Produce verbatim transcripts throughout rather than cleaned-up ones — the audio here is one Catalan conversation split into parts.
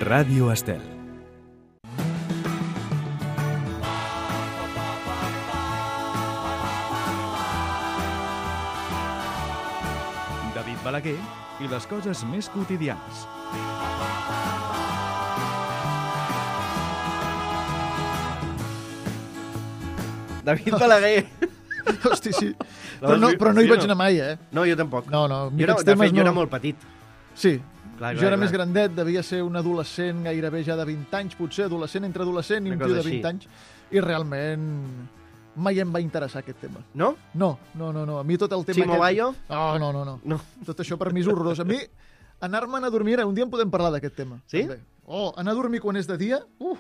Ràdio Estel. David Balaguer i les coses més quotidianes. David Balaguer. Hosti, sí. Però no, però no hi vaig anar mai, eh? No, jo tampoc. No, no. Jo era, de fet, jo era molt petit. Sí. Clar, clar, jo era clar. més grandet, devia ser un adolescent gairebé ja de vint anys, potser adolescent entre adolescent i Una un tio cosa de vint així. anys. I realment mai em va interessar aquest tema. No? No, no, no. no. A mi tot el tema Chimo Bayo? Oh, no, no, no. No. Tot això per mi és horrorós. A mi, anar-me'n a dormir... Un dia en podem parlar d'aquest tema. Sí? També. Oh, anar a dormir quan és de dia, uh,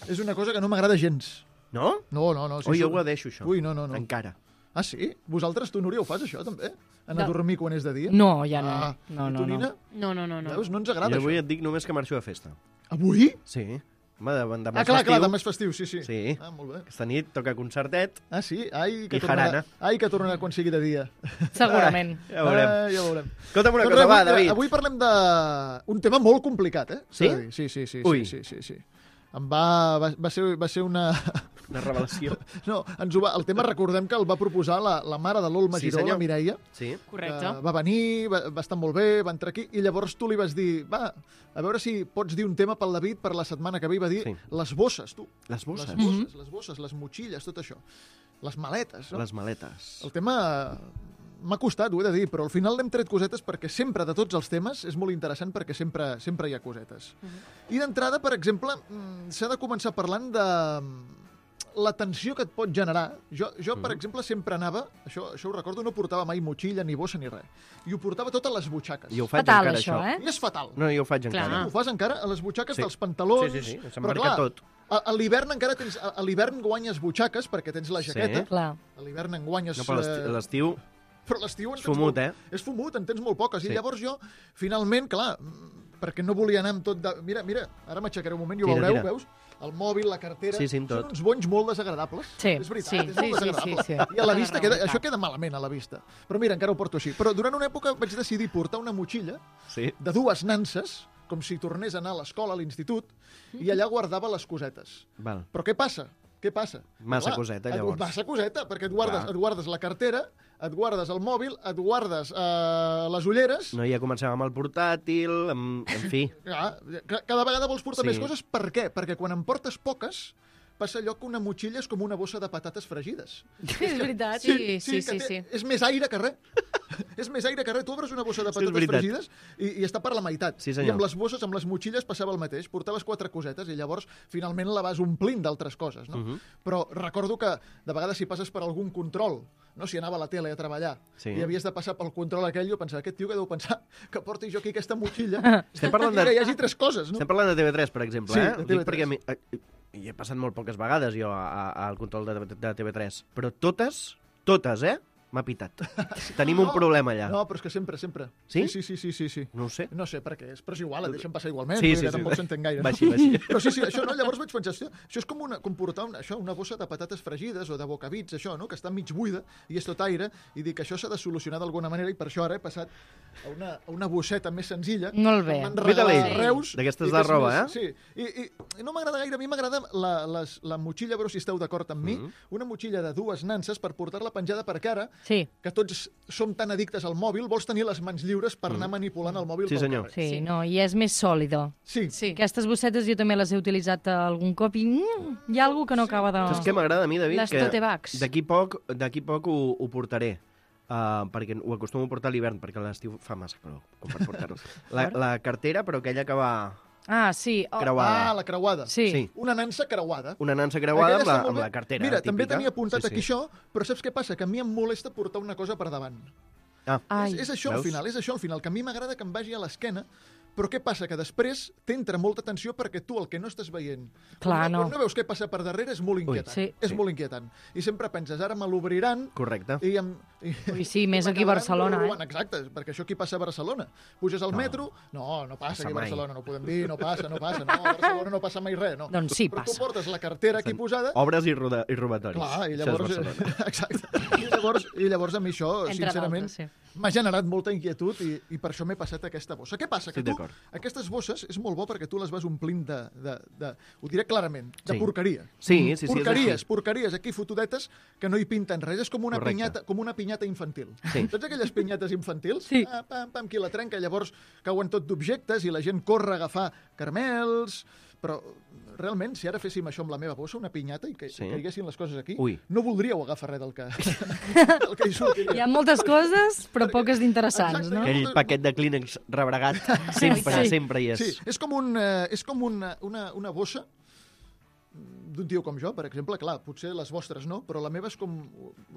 és una cosa que no m'agrada gens. No? No, no, no. Sí, Ui, jo sóc- ho deixo, això. Ui, no, no, no. Encara. Ah, sí? Vosaltres, tu, Núria, ho fas, això, també? Anar a No. dormir quan és de dia? No, ja no. Ah, No, I no, tu, no. Nina? No, no, no, no. Veus? No ens agrada, Jo avui això. et dic només que marxo de festa. Avui? Sí. Home, de, demà Ah, és clar, festiu. clar, demà és festiu, sí, sí. Sí. Ah, molt bé. Aquesta nit toca concertet. Ah, sí? Ai, que I tornarà, jarana. ai, que tornarà quan sigui de dia. Segurament. Ja veurem. Ah, ja veurem. Escolta'm una Doncs cosa, res, va, avui, David. Avui parlem d'un tema molt complicat, eh? Sí? S'ha de dir. Sí, sí, sí. Ui. Sí, sí, sí, sí. Em va, va, va, ser, va ser una... Una revelació. No, ens ho va, el tema recordem que el va proposar la, la mare de l'Olma Sí, Giró, senyor. la Mireia. Sí. Correcte. Que va venir, va, va estar molt bé, va entrar aquí, i llavors tu li vas dir, va, a veure si pots dir un tema pel David per la setmana que ve, i va dir Sí. les bosses, tu. Les bosses. Les bosses, les bosses, les motxilles, tot això. Les maletes, no? Les maletes. El tema m'ha costat, ho he de dir, però al final n'hem tret cosetes perquè sempre, de tots els temes, és molt interessant perquè sempre sempre hi ha cosetes. I d'entrada, per exemple, mm, s'ha de començar parlant de la tensió que et pot generar. Jo, jo per exemple, sempre anava, això, això ho recordo, no portava mai motxilla, ni bossa, ni res. I ho portava tot a les butxaques. I ho faig Fatal, encara, això, això. eh? I és fatal. No, jo ho faig Clar. encara. Ho fas encara a les butxaques Sí. dels pantalons. Sí, sí, sí, Però s'emmarca clar, tot. A, a l'hivern encara tens... A, a l'hivern guanyes butxaques perquè tens la Sí. jaqueta. Clar. A l'hivern en guanyes... No, però eh, l'esti- l'estiu però l'estiu en és tens fumut, molt, eh? És fumut, en tens molt poques. Sí. I llavors jo, finalment, clar, mm, perquè no volia anar amb tot de... Mira, mira, ara m'aixecaré un moment i ho Tira, veureu, tira. veus? El mòbil, la cartera... Sí, sí, amb tot. Són uns bonys molt desagradables. Sí, És veritat, sí, és sí, molt sí, desagradable. sí, sí. I a la Té vista, raó, queda, i tant. això queda malament a la vista. Però mira, encara ho porto així. Però durant una època vaig decidir portar una motxilla Sí. de dues nanses, com si tornés a anar a l'escola, a l'institut, i allà guardava les cosetes. Val. Però què passa? Què passa? Massa coseta, et- llavors. Massa coseta, perquè et guardes, Clar. et guardes la cartera, et guardes el mòbil, et guardes eh, les ulleres... No, ja comencem amb el portàtil, amb... en fi. Clar, ca- cada vegada vols portar Sí. més coses. Per què? Perquè quan en portes poques, passa allò que una motxilla és com una bossa de patates fregides. És veritat. Sí, sí, que sí, té- sí. És més aire que res. és més aire que res. Tu obres una bossa de Sí, és patates veritat. fregides i, i està per la meitat. Sí, senyor. I amb les bosses, amb les motxilles, passava el mateix. Portaves quatre cosetes i llavors finalment la vas omplint d'altres coses. No? Uh -huh. Però recordo que de vegades si passes per algun control, no? Si anava a la tele a treballar Sí. i havies de passar pel control aquell, jo pensava, aquest tio que deu pensar que porti jo aquí aquesta motxilla Estem parlant de- i que hi hagi tres coses, no? Estem parlant de T V tres, per exemple, Sí, eh? de Ho T V dic tres. perquè a mi, eh, hi he passat molt poques vegades jo a- a- al control de, de T V tres, però totes, totes, eh? M'ha pitat. Tenim un No, problema allà. No, però és que sempre, sempre. Sí? Sí, sí, sí, sí, sí. No ho sé. No sé per què és, però és igual, et deixen passar igualment, Sí, vull dir sí, que sí. tampoc s'entén gaire. Va No? així, va així. Però sí, sí, això no, llavors vaig pensar, hòstia, això és com, una, com portar una, això, una bossa de patates fregides o de bocabits, això, no? Que està mig buida i és tot aire, i dic que això s'ha de solucionar d'alguna manera, i per això ara he passat a una, a una bosseta més senzilla. Molt bé. que m'han Mira-li. regalat a Reus. D'aquestes i de que és roba, més- eh? Sí, i, i, i no m'agrada gaire, a mi m'agrada la, les, la motxilla, a veure si esteu d'acord amb mi, Mhm. una motxilla de dues nanses per portar-la penjada per cara, Sí, que tots som tan addictes al mòbil, vols tenir les mans lliures per anar manipulant el mòbil Sí, pel senyor. carrer. sí, Sí. no, i és més sòlido. Sí. Sí. Aquestes bossetes jo també les he utilitzat algun cop i mm, hi ha algú que no acaba de... Saps què m'agrada a mi, David? Les Que tote bags. D'aquí poc, d'aquí poc ho, ho portaré. Uh, perquè ho acostumo a portar a l'hivern, perquè a l'estiu fa massa calor com per portar-ho. La, la cartera, però aquella que va Ah, sí. Oh, creuada. Ah, la creuada. sí. Sí. Una nansa creuada. Una nansa creuada Aquella amb la, està molt amb bé. la cartera Mira, típica. també tenia apuntat Sí, sí. aquí això, però saps què passa? Que a mi em molesta portar una cosa per davant. Ah, Ai. És, és això al Veus? final, és això al final, que a mi m'agrada que em vagi a l'esquena, però què passa? Que després t'entra molta tensió perquè tu el que no estàs veient, Clar, quan, no. quan no veus què passa per darrere, és molt inquietant. sí. És Sí. molt inquietant. I sempre penses, ara me l'obriran correcte. i em... I, Ui, sí, més i aquí a m'acabaran Barcelona, eh? robant. Exacte, perquè això aquí passa a Barcelona. Puges al No. metro, no, no passa Passa aquí a mai. Barcelona, no podem dir, no passa, no passa, no, a Barcelona no passa mai res, no. Doncs sí, Però passa. tu portes la cartera aquí posada, Obres i, roda, i robatoris. clar, i Això és llavors... Barcelona. Exacte. I llavors, I llavors a mi això, Entre sincerament, d'altres, sí. m'ha generat molta inquietud i, i per això m'he passat aquesta bossa. Què passa? Que Estic tu, D'acord. Aquestes bosses és molt bo perquè tu les vas omplint de, de, de ho diré clarament, de Sí. porqueria. Sí, sí, sí, és porqueries, així. porqueries, aquí fotudetes que no hi pinten res. És com una, Correcte. pinyata, com una pinyata infantil. Sí. Saps aquelles pinyates infantils? Sí. Ah, pam, pam, qui la trenca, llavors cauen tot d'objectes i la gent corre a agafar caramels, però realment, si ara féssim això amb la meva bossa, una pinyata, i que Sí. sí. caiguessin les coses aquí, Ui. no voldríeu agafar res del que, del que hi sortiria. Hi ha moltes coses, però poques d'interessants, Exacte. no? Aquell paquet de Kleenex rebregat sempre, Sí. sempre hi és. Sí, és com, un, eh, és com una, una, una bossa d'un tio com jo, per exemple. Clar, potser les vostres no, però la meva és com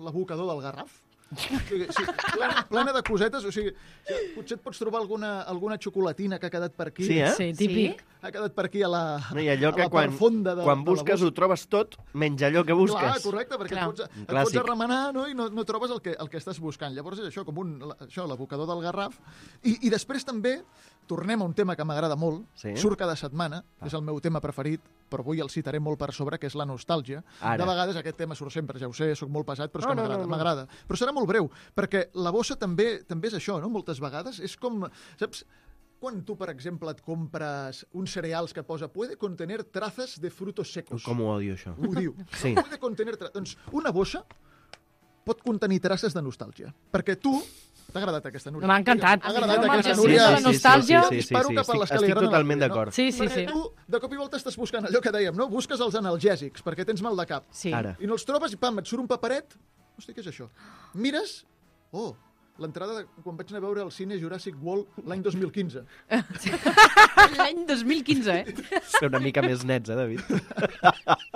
l'abocador del Garraf. O sigui, sí, plena, plena de cosetes. O sigui, sí, potser et pots trobar alguna, alguna xocolatina que ha quedat per aquí. Sí, eh? Sí, típic. Ha quedat per aquí a la, No, i allò a que la quan, part fonda de, quan de la busques bossa. ho trobes tot, menys allò que busques. Clar, correcte, perquè Clar. et pots, Un et pots clàssic. arremenar, no? I no, no trobes el que, el que estàs buscant. Llavors és això, com un, la- això, l'abocador del Garraf. I, I després també tornem a un tema que m'agrada molt, Sí. surt cada setmana, és el meu tema preferit, però avui el citaré molt per sobre, que és la nostàlgia. Ara. De vegades aquest tema surt sempre, ja ho sé, sóc molt pesat, però és No, que no, m'agrada, no, no. m'agrada. Però serà molt breu, perquè la bossa també també és això, no? Moltes vegades és com, saps, quan tu, per exemple, et compres uns cereals que posa puede contener trazas de frutos secos. Com ho odio, això. Ho diu. Sí. Puede contener tra... Doncs una bossa pot contenir traces de nostàlgia. Perquè tu... T'ha agradat aquesta, Núria? M'ha encantat. T'ha agradat Home, aquesta, que sí, Núria? de la nostàlgia. Sí, sí, sí, Disparo sí, cap a estic, les que li estic agraden a totalment la Núria, d'acord. Sí, sí, Perquè sí. tu, de cop i volta, estàs buscant allò que dèiem, no? Busques els analgèsics perquè tens mal de cap. Sí. Ara. I no els trobes i, pam, et surt un paperet. Hosti, què és això? Mires... Oh, l'entrada de quan vaig anar a veure el cine Jurassic World l'any dos mil quinze. L'any dos mil quinze, eh? Ser una mica més nets, eh, David?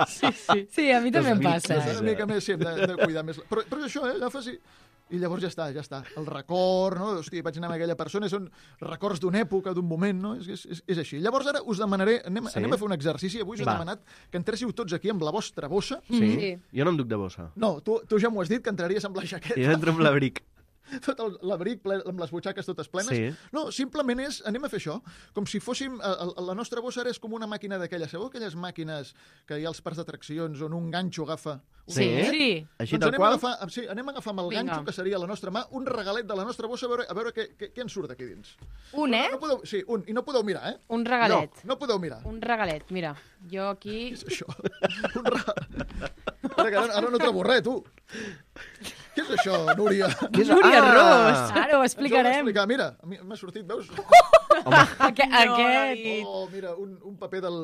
Sí, sí. Sí, a mi també em passa. És una mica més, sí, hem de, hem de cuidar més. Però, però és això, eh? Agafes i... I llavors ja està, ja està. El record, no? Hosti, vaig anar amb aquella persona, són records d'una època, d'un moment, no? És, és, és així. Llavors ara us demanaré, anem, Sí? anem a fer un exercici. Avui us he Va. demanat que entréssiu tots aquí amb la vostra bossa. Sí? Sí. Jo no em duc de bossa. No, tu, tu ja m'ho has dit, que entraries amb la jaqueta. Jo entro amb l'abric. Tot el- l'abric ple, amb les butxaques totes plenes. Sí. No, simplement és, anem a fer això, com si fóssim, a, a, la nostra bossa ara és com una màquina d'aquelles, sabeu aquelles màquines que hi ha als parcs d'atraccions on un ganxo agafa... un Sí? ganxet? Sí. Així Doncs tal anem a, qual? agafar, sí, anem a agafar amb el Vinga. ganxo, que seria la nostra mà, un regalet de la nostra bossa, a veure, a veure què, què, què en surt aquí dins. Un, eh? No podeu, sí, un, i no podeu mirar, eh? Un regalet. No, no podeu mirar. Un regalet, mira. Jo aquí... Què és això? Un regalet. Ara, que ara, ara no trobo res, tu. Què és això, Núria? Què és- Núria Ah! Ros. Ara ho Ens ho heu explicarem. d'explicar. Mira, a mi m'ha sortit, veus? Aquest, aquest... Oh, mira, un, un paper del...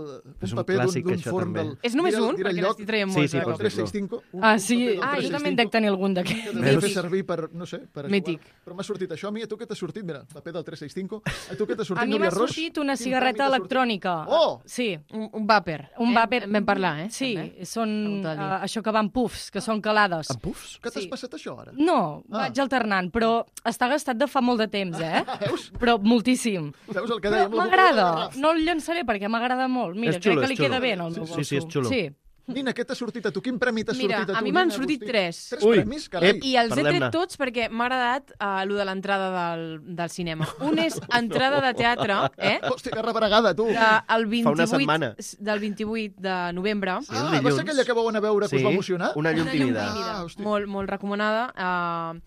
És un un paper d'un- clàssic, d'un això, forn també. del... És només Mira el- un? mira el Perquè lloc, n'estic traient Sí, molts. sí, eh? pot el tres sis cinc. Un, Ah, un sí? paper del Ah, jo tres sis també en cinc. dec tenir algun Que d'aquests. també fer Mític. servir per, no sé, per jugar. Mític. Però m'ha sortit això. A mi, a tu què t'ha sortit? Mira, paper del tres sis cinc. A tu què t'ha sortit, A mi Núria m'ha Ros? sortit una Quin cigarreta premi t'ha sortit? electrònica. Oh! Sí, Un, un vàper. un eh? vàper... En vam parlar, eh? Sí, També. són Apunta al uh, dit. això que van pufs, que són calades. Amb pufs? Que t'has Sí. passat això, ara? No, Ah. vaig alternant, però està gastat de fa molt de temps, eh? Veus? Però moltíssim. Veus el que Però dèiem? la boca del m'agrada, Garraf. no el llançaré perquè m'agrada molt. Mira, És xulo, crec que és li xulo. queda bé en el meu Sí, bolso. sí, és xulo. Sí. Nina, què t'ha sortit a tu? Quin premi t'ha Mira, sortit a tu? a mi m'han Nina, sortit Agustí? tres. Tres Ui. premis? Carai. I els he Parlem-ne. tret tots perquè m'ha agradat uh, lo de l'entrada del, del cinema. Un és entrada de teatre, eh? Hòstia, que rebregada, tu. De, el Fa una setmana. vint-i-vuit, del vint-i-vuit de novembre. Sí, Ah, el va ser dilluns. aquella que vau anar a veure que us va emocionar? Una llum Una llum tímida. tímida. Ah, hosti. molt, molt recomanada. Uh,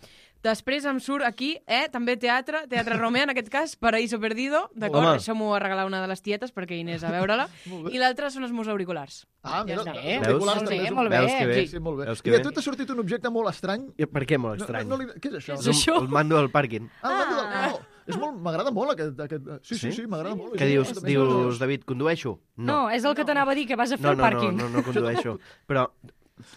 després em surt aquí, eh, també teatre, Teatre Romea, en aquest cas, Paraíso Perdido, d'acord? Home. Això m'ho va regalar una de les tietes perquè hi anés a veure-la. Molt bé. I l'altre són els meus auriculars. Ah, mira, Ja està. els Veus? auriculars Molt també bé, és un- molt bé. Veus que bé? Sí, sí, molt bé. Veus que I a bé? tu t'ha sortit un objecte molt estrany? I per què molt No, estrany? no, no, li- què és això? És un- això? El mando del pàrquing. Ah, el mando del... No, és molt... M'agrada molt aquest... aquest... Sí, sí, Sí? sí, m'agrada molt. Què Sí, dius, també dius és- David, condueixo? No, és el que t'anava a dir, que vas a fer no, el no, no, pàrquing. no, no condueixo. Però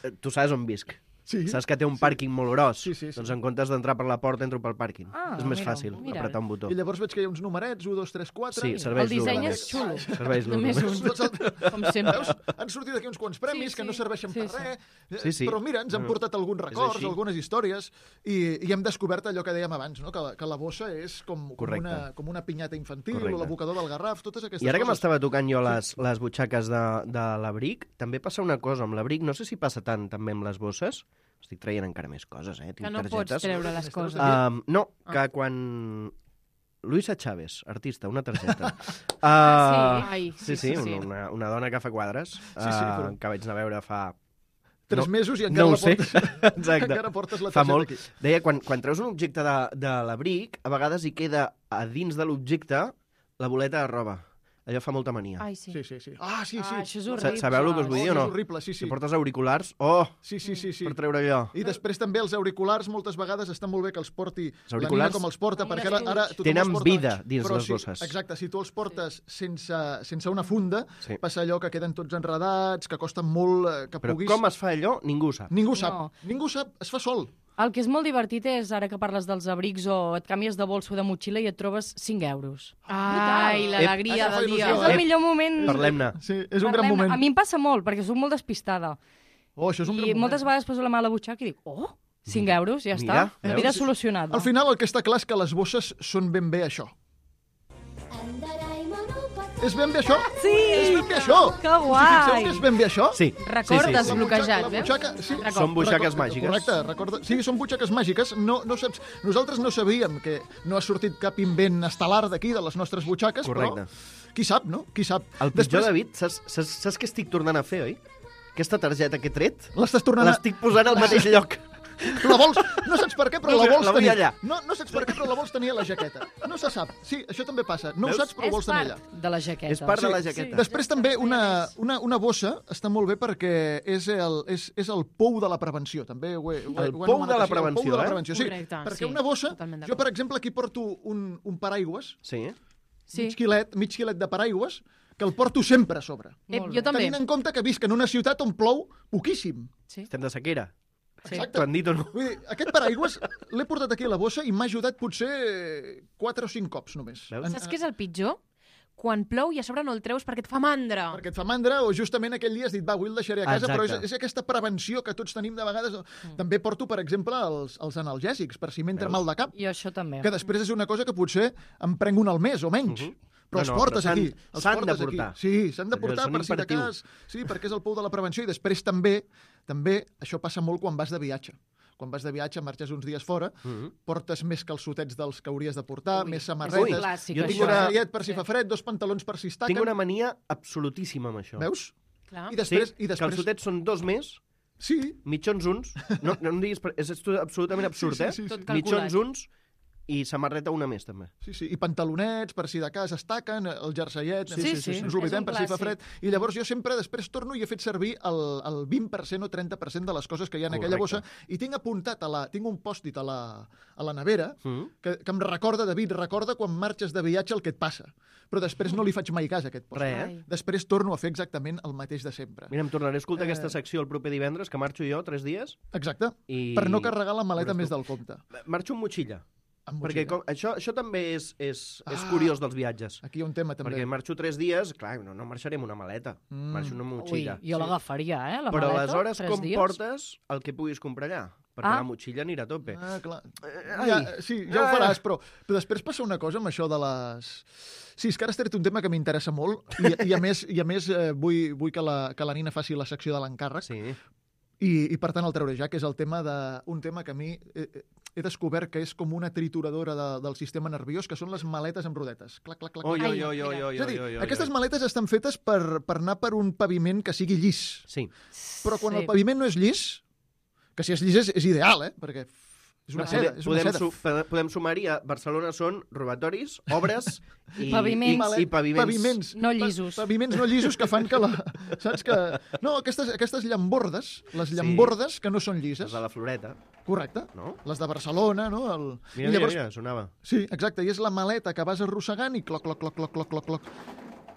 eh, tu saps on visc. Sí. Saps que té un pàrquing molt gros? Sí, sí, sí. Doncs en comptes d'entrar per la porta, entro pel pàrquing. Ah, és més mira, fàcil, mira. apretar un botó. I llavors veig que hi ha uns numerets, un, dos, tres, quatre... Sí, i- serveis El disseny l'ús. és xulo. Serveis l'ús. Només un. Tots el- Com sempre. Veus? Han sortit aquí uns quants premis Sí, que sí. no serveixen Sí, per sí. res, eh, Sí, sí. però mira, ens han No, portat alguns records, així. algunes històries, i, i hem descobert allò que dèiem abans, no? que, que la bossa és com, com, Correcte. una, com una pinyata infantil, Correcte. o l'abocador del Garraf, totes aquestes I ara que coses. m'estava tocant jo les, les butxaques de, de l'abric, també passa una cosa amb l'abric, no sé si passa tant també amb les bosses, estic traient encara més coses, eh? Tinc Que no pots targetes. treure les coses. Um, no, Ah. que quan... Luisa Chávez, artista, una targeta. Uh, Ah, sí? Ai, sí, sí, una, una dona que fa quadres, Sí, sí, però- uh, que vaig anar a veure fa... Tres no- mesos i encara no ho la sé. portes, Exacte. encara portes la Fa targeta molt. aquí. Deia, quan, quan treus un objecte de, de l'abric, a vegades hi queda a dins de l'objecte La boleta de roba. Allò fa molta mania. Ai, sí. Sí, sí, sí. Ah, sí, sí. Ah, això és Sa- horrible. Sabeu el que us vull dir o no? És horrible, sí, sí. Si portes auriculars, oh, Sí, sí, sí, sí. per treure allò. I després també els auriculars moltes vegades està molt bé que els porti Els la auriculars Nina com els porta, amb un perquè ara, ara tothom Tenen els porta, vida dins però les si, bosses. Exacte, si tu els portes sense, sense una funda, Sí. passa allò que queden tots enredats, que costa molt eh, que Però puguis... com es fa allò, ningú ho sap. Ningú sap, No. ningú sap, es fa sol. El que és molt divertit és, ara que parles dels abrics o et canvies de bolso de motxilla i et trobes cinc euros. Ai, l'alegria Ep, del dia. il·lusió, És el Ep, millor moment. Parlem-ne. Sí, és un gran Parlem- moment. A mi em passa molt, perquè soc molt despistada. Oh, això és un I gran moment. moltes vegades poso la mà a la butxaca i dic, oh, cinc euros, ja Mira, està. veus? Vida solucionada. Al final el que està clar és que les bosses són ben bé això. És ben bé això? Sí! És ben bé això! Que Us hi guai! fixeu que és ben bé això? Sí. Record sí, sí, La sí. desbloquejat, butxaca- la eh? butxaca, sí. Són butxaques Record- màgiques. Correcte, recorda. Sí, són butxaques màgiques. No, no saps... Nosaltres no sabíem que no ha sortit cap invent estel·lar d'aquí, de les nostres butxaques, Correcte. però qui sap, no? Qui sap. El pitjor, David, saps, saps, saps què estic tornant a fer, oi? Aquesta targeta que he tret, L'estàs tornant a... l'estic posant al mateix lloc. La vols... No saps per què, però No, la vols la vull tenir... allà. No, no saps per què, però la vols tenir a la jaqueta. No se sap. Sí, això també passa. No Veus? ho saps, però ho vols És tenir allà. part de la jaqueta. És part de la jaqueta. Després també una, una, una bossa està molt bé perquè és el, és, és el pou de la prevenció. També ho he, ho he, El ho he pou anomenat de la així, prevenció, el pou de la eh? prevenció, sí. Correcte, perquè sí, una bossa... totalment Jo, d'acord. per exemple, aquí porto un, un paraigües, Sí. Sí. mig quilet, mig quilet de paraigües, que el porto sempre a sobre. Eh, Molt jo bé. també. Tenint en compte que visc en una ciutat on plou poquíssim. Sí. Estem de sequera. Exacte. T'ho han dit o no? Vull dir, aquest paraigües l'he portat aquí a la bossa i m'ha ajudat potser quatre o cinc cops només. Veus? Saps què és el pitjor? Quan plou i a sobre no el treus perquè et fa mandra. Perquè et fa mandra o justament aquell dia has dit, va, avui el deixaré a casa, Exacte. però és, és aquesta prevenció que tots tenim de vegades. Mm. També porto, per exemple, els, els analgèsics, per si m'entra Veus? mal de cap, I això també. que després és una cosa que potser em prenc un al mes o menys. Mhm. Però No, els no, portes però s'han- aquí. Els s'han de portes portar. Aquí. Sí, s'han de Allò portar són per si de imperatius. cas. Sí, perquè és el pou de la prevenció. I després també, també això passa molt quan vas de viatge. Quan vas de viatge, marxes uns dies fora, Mhm. portes més calçotets dels que hauries de portar, Ui, més és un samarretes, clàssic, jo un tinc això. una- braçalet per si Sí. fa fred, dos pantalons per si es taquen. Tinc una mania absolutíssima amb això. Veus? Clar. I després... Sí, i després... calçotets són dos més, Sí, mitjons uns, no, no em diguis, per- és estu- absolutament absurd, Sí, sí, eh? sí, sí. Tot calculat. Mitjons uns i samarreta una més, també. sí, sí. I pantalonets, per si de cas es taquen, el jerseiet, Sí, sí, sí. ens oblidem És un per si fa clàssic. fred. I llavors jo sempre després torno i he fet servir el, el vint per cent o trenta per cent de les coses que hi ha en aquella bossa Correcte. i tinc apuntat, a la, tinc un pòst-it a la, a la nevera Mm. que, que em recorda, David, recorda quan marxes de viatge el que et passa. Però després no li faig mai cas a aquest pòst-it. Res, eh? Ai. Després torno a fer exactament el mateix de sempre. Mira, em tornaré a escoltar Eh. aquesta secció el proper divendres, que marxo jo tres dies, Exacte. i... Per no carregar la maleta Veuràs més tu. del compte. Marxo amb motxilla, Amb perquè motxilla. com, això, això també és, és, és Ah. curiós dels viatges. Aquí hi ha un tema, també. Perquè marxo tres dies, clar, no, no marxaré amb una maleta, Mm. marxo amb una Ui, motxilla. jo l'agafaria, eh, la Però maleta, aleshores tres com dies. portes el que puguis comprar allà? Perquè Ah. la motxilla anirà a tope. Ah, clar. Ai. Ja, sí, ja ho Ai. faràs, però, però després passa una cosa amb això de les... Sí, és que ara has tret un tema que m'interessa molt i, i a més, i a més eh, vull, vull que, la, que la Nina faci la secció de l'encàrrec Sí. i, i per tant el treuré ja, que és el tema de, un tema que a mi he, he descobert que és com una trituradora de, del sistema nerviós, que són les maletes amb rodetes. Clac, clac, clac. Oi, clac. oi, oi, oi, oi, És a dir, oi, oi, aquestes oi. maletes estan fetes per, per anar per un paviment que sigui llis. Sí. Però quan Sí. el paviment no és llis, que si és llis és, és ideal, eh? Perquè és una seda, és una podem, seda. su podem sumar-hi a Barcelona són robatoris, obres i Paviments. I, i paviments. paviments. No llisos. Pa paviments no llisos que fan que la... Saps que... No, aquestes, aquestes llambordes, les llambordes que no són llises. Les de la Floreta, Correcte. no? Les de Barcelona, no? El... Mira, I llavors, mira, mira, sonava. Sí, exacte, i és la maleta que vas arrossegant i cloc, cloc, cloc, cloc, cloc, cloc, cloc.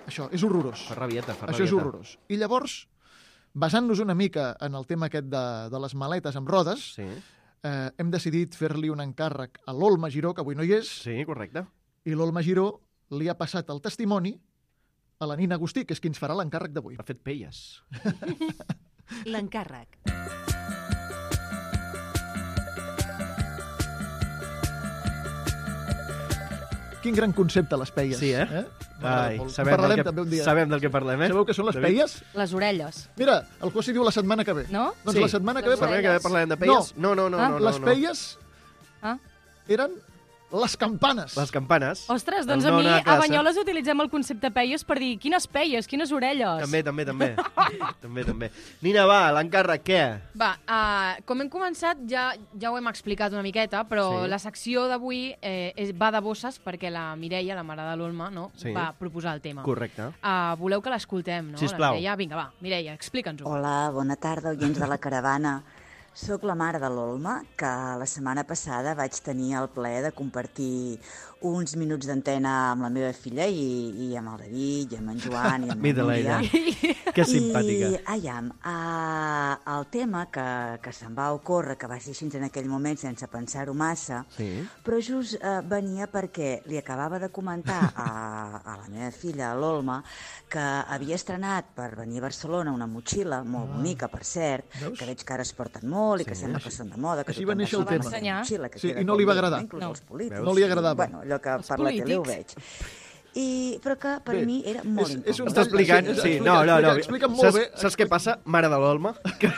Això és horrorós. Fa rabieta, fa Això és rabieta. horrorós. I llavors, basant-nos una mica en el tema aquest de, de les maletes amb rodes, Sí, eh, hem decidit fer-li un encàrrec a l'Olma Giró, que avui no hi és, sí, correcte. i l'Olma Giró li ha passat el testimoni a la Nina Agustí, que és qui ens farà l'encàrrec d'avui. Ha fet pelles. L'encàrrec. Quin gran concepte, les peies. Sí, eh? M'agrada Ai, molt. En sabem, parlarem del que, també un dia. sabem del que parlem, eh? Sabeu què són les David? peies? Les orelles, Mira, el Quasi diu la setmana que ve. no? Doncs Sí. la setmana que Les ve... Sabem que orelles. parlarem de pelles? No, no, no. Ah, no, no les no. peies Ah. eren Les campanes. Les campanes. Ostres, doncs El a no mi anar a classe. Banyoles utilitzem el concepte peies per dir quines peies, quines orelles. També, també, també. també, també. Nina, va, l'encàrrec, què? Va, uh, com hem començat, ja, ja ho hem explicat una miqueta, però Sí. sí. la secció d'avui eh, és, va de bosses perquè la Mireia, la mare de l'Olma, no, Sí. va proposar el tema. Correcte. Uh, voleu que l'escoltem, no? Sisplau. La Mireia? Vinga, va, Mireia, explica'ns-ho. Hola, bona tarda, oients de la caravana. Soc la mare de l'Olma, que la setmana passada vaig tenir el plaer de compartir uns minuts d'antena amb la meva filla i, i amb el David, i amb en Joan, i amb Mira-la, el Núria. ella. Que simpàtica. I, aiam, uh, el tema que, que se'm va ocórrer, que va ser així en aquell moment sense pensar-ho massa, Sí. però just uh, venia perquè li acabava de comentar a, a la meva filla, a l'Olma, que havia estrenat per venir a Barcelona una motxilla, molt bonica, per cert, Veus? que veig que ara es porten molt i que Sí. sembla que són de moda, que Així tothom va néixer el portar tema. aquesta motxilla, que Sí, queda i no com li va bé, agradar. inclús No. els polítics. No li agradava. Bueno, allò que Els per la tele ho polítics. veig. I, però que per Bé, mi era molt és- incòmode. és un Està explicant... Sí, Sí, explica, no, no, no. explica, explica molt saps, bé. Saps què passa, mare de l'Olma? Que,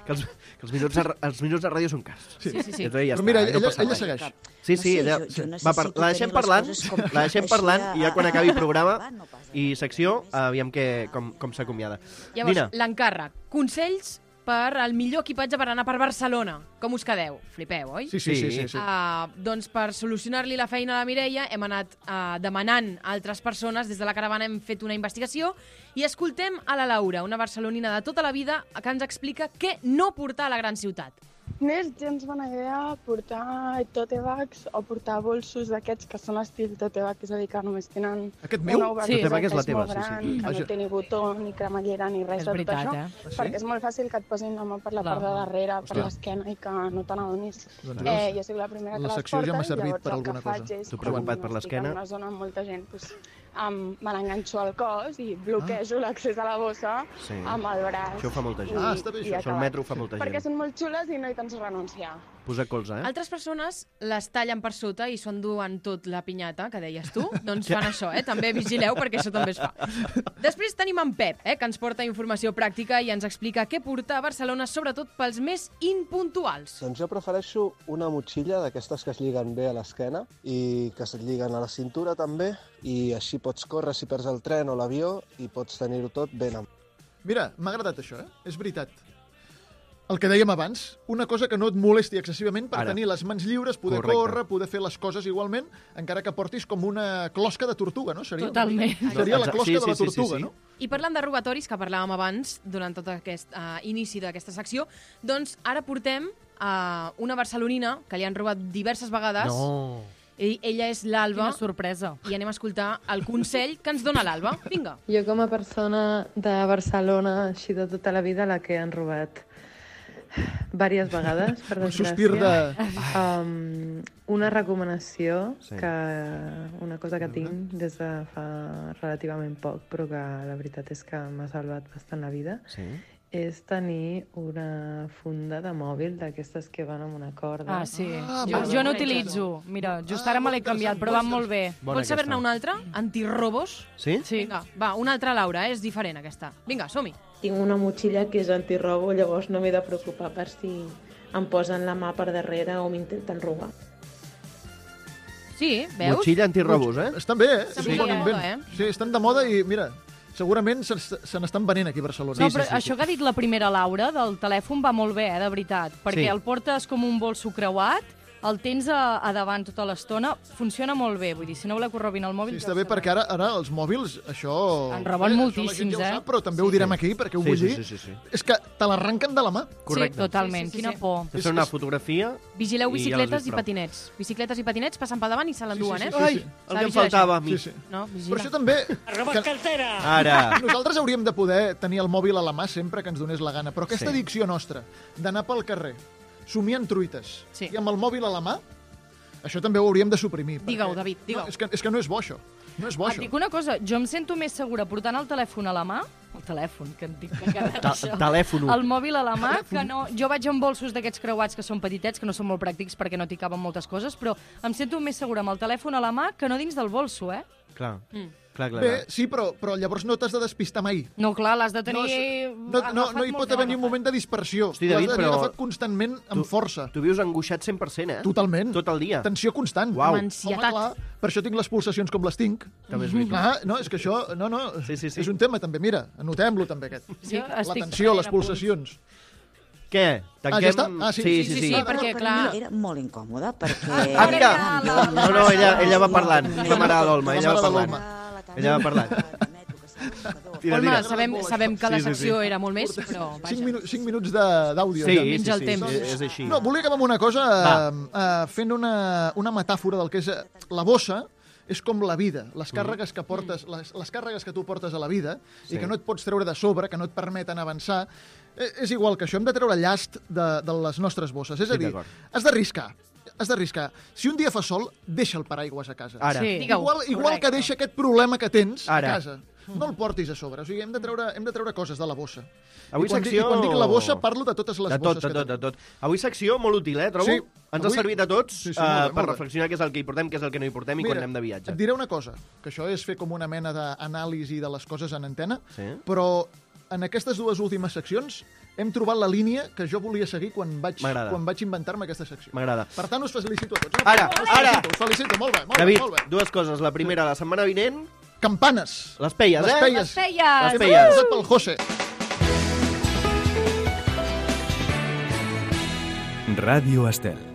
que, els, que els, minuts de, els minuts de ràdio són cars. Sí, sí, sí. I entonces ja Però està, mira, no ella, passa ella res. segueix. Sí, No sí, sé, ella... jo- jo va, par- necessito la deixem tenir les parlant, coses com la deixem així parlant a- i ja quan acabi el programa a- no passa i res. secció, aviam que, com, com s'acomiada. Llavors, Nina, l'encàrrec. Consells per al millor equipatge per anar per Barcelona. Com us quedeu? Flipeu, oi? Sí, sí, sí. sí, sí. Uh, doncs per solucionar-li la feina a la Mireia hem anat uh, demanant a altres persones. Des de la caravana hem fet una investigació i escoltem a la Laura, una barcelonina de tota la vida, que ens explica què no portar a la gran ciutat. No és gens bona idea portar tote bags o portar bolsos d'aquests que són estil tote bag, és a dir, que només tenen Aquest meu? una Sí. obertura Tote bag que és la és teva, molt sí, sí. gran, que Vaja. no té ni botó, ni cremallera, ni res És de tot veritat, això, eh? Ah, sí? perquè és molt fàcil que et posin la mà per la Clar. part de darrere, per Ostres. l'esquena, i que no te n'adonis. Doncs Eh, veus? jo soc la primera que La les secció ja porta, m'ha servit llavors per el que alguna faig cosa. és, Tu quan preocupat per estic l'esquena? en una zona amb molta gent, doncs, um, me l'enganxo al cos i bloquejo l'accés a la bossa Sí. amb el braç. Això ho fa molta gent. Ah, està bé, i això. Això al acabat. metro ho fa molta Perquè gent. són molt xules i no hi penso renunciar. Posa colze, eh? Altres persones les tallen per sota i s'ho enduen tot la pinyata, que deies tu. Doncs fan això, eh? També vigileu, perquè això també es fa. Després tenim en Pep, eh? Que ens porta informació pràctica i ens explica què portar a Barcelona, sobretot pels més impuntuals. Doncs jo prefereixo una motxilla d'aquestes que es lliguen bé a l'esquena i que es lliguen a la cintura també, i així pots córrer si perds el tren o l'avió i pots tenir-ho tot ben amb. Mira, m'ha agradat això, eh? És veritat. El que dèiem abans, una cosa que no et molesti excessivament per Ara. tenir les mans lliures, poder Correcte. córrer, poder fer les coses igualment, encara que portis com una closca de tortuga, no? Seria una Totalment. mica- Seria la Exacte. closca Sí, de la sí, sí, sí, tortuga, sí. no? I parlant de robatoris, que parlàvem abans, durant tot aquest uh, inici d'aquesta secció, doncs ara portem uh, una barcelonina que li han robat diverses vegades. No. I ella és l'Alba. Quina sorpresa. I anem a escoltar el consell que ens dona l'Alba. Vinga. Jo com a persona de Barcelona, així de tota la vida, la que han robat diverses vegades, per Un desgràcia. sospir de... Um, una recomanació, Sí. que una cosa que tinc des de fa relativament poc, però que la veritat és que m'ha salvat bastant la vida, Sí. és tenir una funda de mòbil d'aquestes que van amb una corda. Ah, sí. Ah, jo molt jo no bé. utilitzo. Mira, just Ah, ara me l'he molt canviat, interessant, però va molt molt bé. Bona Vols saber-ne aquesta. una altra? Antirrobos? Sí? Sí. Vinga, va, una altra, Laura, eh? És diferent aquesta. Vinga, som-hi. Tinc una motxilla que és antirrobo, llavors no m'he de preocupar per si em posen la mà per darrere o m'intenten robar. Sí, veus? Motxilla antirrobos, eh? Estan bé, eh? Estan És un bé bon de invent. moda, eh? Sí, estan de moda i, mira, segurament se, se n'estan venent aquí a Barcelona. No, però això que ha dit la primera Laura del telèfon va molt bé, eh, de veritat, perquè Sí. el portes com un bolso creuat, el tens a, a davant tota l'estona, funciona molt bé, vull dir, si no voleu que us robin el mòbil... Sí, ja està bé, ho perquè sabeu. ara, ara els mòbils, això... En roben això moltíssims, la gent ja ho eh? sap, però també ho direm aquí, perquè ho Sí, vull sí, dir. sí, sí, sí. És que te l'arrenquen de la mà. Correcte. Sí, totalment, Sí, sí, sí, quina sí. por. Te fan una fotografia Vigileu i ja l'has bicicletes vist i prou. patinets. Bicicletes i patinets passen per davant i se l'enduen, Sí, sí, eh? sí, Ai, sí. el S'ha que de em vigilar faltava a mi. Sí, sí. No, Per vigila. això també... Que Ara. nosaltres hauríem de poder tenir el mòbil a la mà sempre que ens donés la gana, però aquesta Sí. addicció nostra d'anar pel carrer somiant truites Sí. i amb el mòbil a la mà, això també ho hauríem de suprimir. perquè- Digue-ho, David, digue-ho. No, és, que, és que no és bo, això. No és bo, Et això. dic una cosa, jo em sento més segura portant el telèfon a la mà, el telèfon, que en dic que cada Ta- això, telèfon. el mòbil a la mà, que no... Jo vaig amb bolsos d'aquests creuats que són petitets, que no són molt pràctics perquè no t'hi caben moltes coses, però em sento més segura amb el telèfon a la mà que no dins del bolso, eh? Clar. Mm. Clar, clar, Bé, clar. sí, però, però llavors no t'has de despistar mai. No, clar, l'has de tenir... No, no, no, no hi pot haver ni un moment de dispersió. Hosti, L'has David, de tenir però- agafat constantment amb Tu- força. Tu vius angoixat cent per cent, eh? Totalment. Tot el dia. Tensió constant. Uau. Amb ansietat. Home, clar, per això tinc les pulsacions com les tinc. També és veritat. Clar, no, és que això... No, no, Sí, sí, sí. és un tema també, mira, anotem-lo també aquest. Sí, La estic tensió, les prenent apunts. pulsacions. Què? Tanquem... Ah, ja està? Ah, sí. sí, Sí, sí. sí, sí. perquè, per clar- mi era molt incòmode, perquè... Ah, mira! Jo- No, no, ella, ella va parlant. És la mare de l'Olma, La ella va mare de parlant. l'Olma. Ella va parlant. Tira, Olma, tira. sabem, sabem que la Sí, sí, secció sí. era molt més, però Cinc, vaja. minu cinc minuts de- d'àudio. Sí, ja. sí, Menja el sí, temps. és, és així. No, volia acabar amb una cosa eh, eh, fent una, una metàfora del que és eh, la bossa és com la vida, les càrregues que portes, les, les càrregues que tu portes a la vida Sí. i que no et pots treure de sobre, que no et permeten avançar, eh, és igual que això, hem de treure llast de, de les nostres bosses. És a Sí, dir, d'acord. has d'arriscar, has d'arriscar. Si un dia fa sol, deixa el paraigües a casa. Ara. Sí. Digue-ho. Igual, igual Correcte. que deixa aquest problema que tens Ara. a casa. No el portis a sobre. O sigui, hem de treure, hem de treure coses de la bossa. Avui I quan, secció... dic, I quan dic la bossa, parlo de totes les De tot, bosses de que tot, de tenim. tot. Avui secció molt útil, eh, trobo? Sí. Ens ha Avui- servit a tots Sí, sí, eh, molt bé, per molt bé. reflexionar què és el que hi portem, què és el que no hi portem i quan anem de viatge. Et diré una cosa, que això és fer com una mena d'anàlisi de les coses en antena, Sí. però en aquestes dues últimes seccions hem trobat la línia que jo volia seguir quan vaig, M'agrada. quan vaig inventar-me aquesta secció. M'agrada. Per tant, us felicito a tots. Ara, us ara! Felicito, us felicito, molt bé, molt David, bé, molt bé. dues coses. La primera, la setmana vinent, Campanes. les peies, Les eh? peies. Les feies! Les Hem peies. posat pel José. Ràdio Estel.